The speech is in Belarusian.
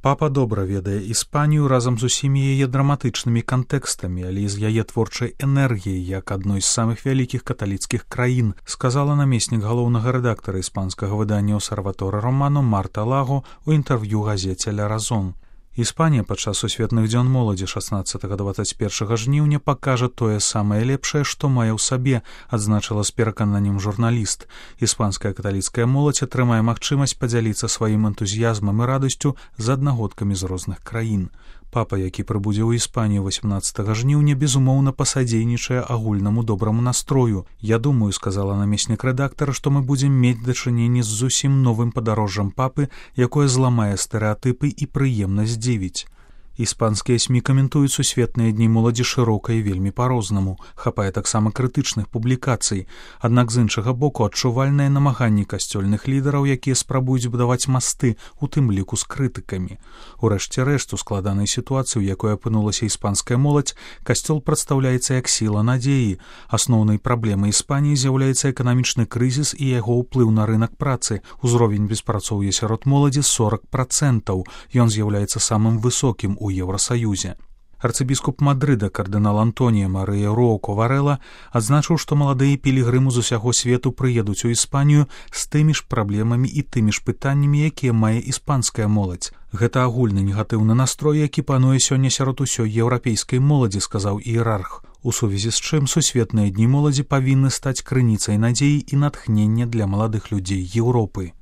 Папа добра ведае Іспанію разам з усімі яе драматычнымі кантэкстамі, але і з яе творчай энергіяй, як адной з самых вялікіх каталіцкіх краін, сказала намеснік галоўнага рэдактара іспанскага выдання «Обсерваторе Романо» Марта Лаго ў інтэрв'ю газеце «Ля Разон». Іспанія падчас сусветных дзён моладзі 16-21 жніўня пакажа тое самае лепшае, што мае ў сабе, адзначыла з перакананнем журналіст. Іспанская каталіцкая моладзь атрымае магчымасць падзяліцца сваім энтузіязмам і радасцю з аднагодкамі з розных краін. Папа, які прыбудзе ў Іспанію 18 жніўня, безумоўна пасадзейнічае агульнаму добраму настрою. Я думаю, сказала намеснік рэдактара, што мы будзем мець дачыненне з зусім новым падарожжам папы, якое зламае стэрэатыпы і прыемна здзівіць. Іспанскія СМІ каментуюць сусветныя дні моладзі шырока і вельмі па-рознаму. Хапае таксама крытычных публікацый. Аднак з іншага боку адчувальныя намаганні касцёльных лідараў, якія спрабуюць будаваць масты, у тым ліку з крытыкамі. Урэшце рэшт, у складанай сітуацыі, у якой апынулася іспанская моладзь, касцёл прадстаўляецца як сіла надзеі. Асноўнай праблемай Іспаніі з'яўляецца эканамічны крызіс і яго ўплыў на рынак працы. Узровень беспрацоўя сярод моладзі 40%. Ён з'яўляецца самым высокім у Еўрасаюзе. Арцыбіскуп Мадрыда кардынал Антонія Марыя Роўко Варэла адзначыў, што маладыя пілігрымы з усяго свету прыедуць у Іспанію з тымі ж праблемамі і тымі ж пытаннямі, якія мае іспанская моладзь. Гэта агульны негатыўны настрой, які пануе сёння сярод усёй еўрапейскай моладзі, сказаў іерарх. У сувязі з чым сусветныя дні моладзі павінны стаць крыніцай надзеі і натхнення для маладых людзей Еўропы.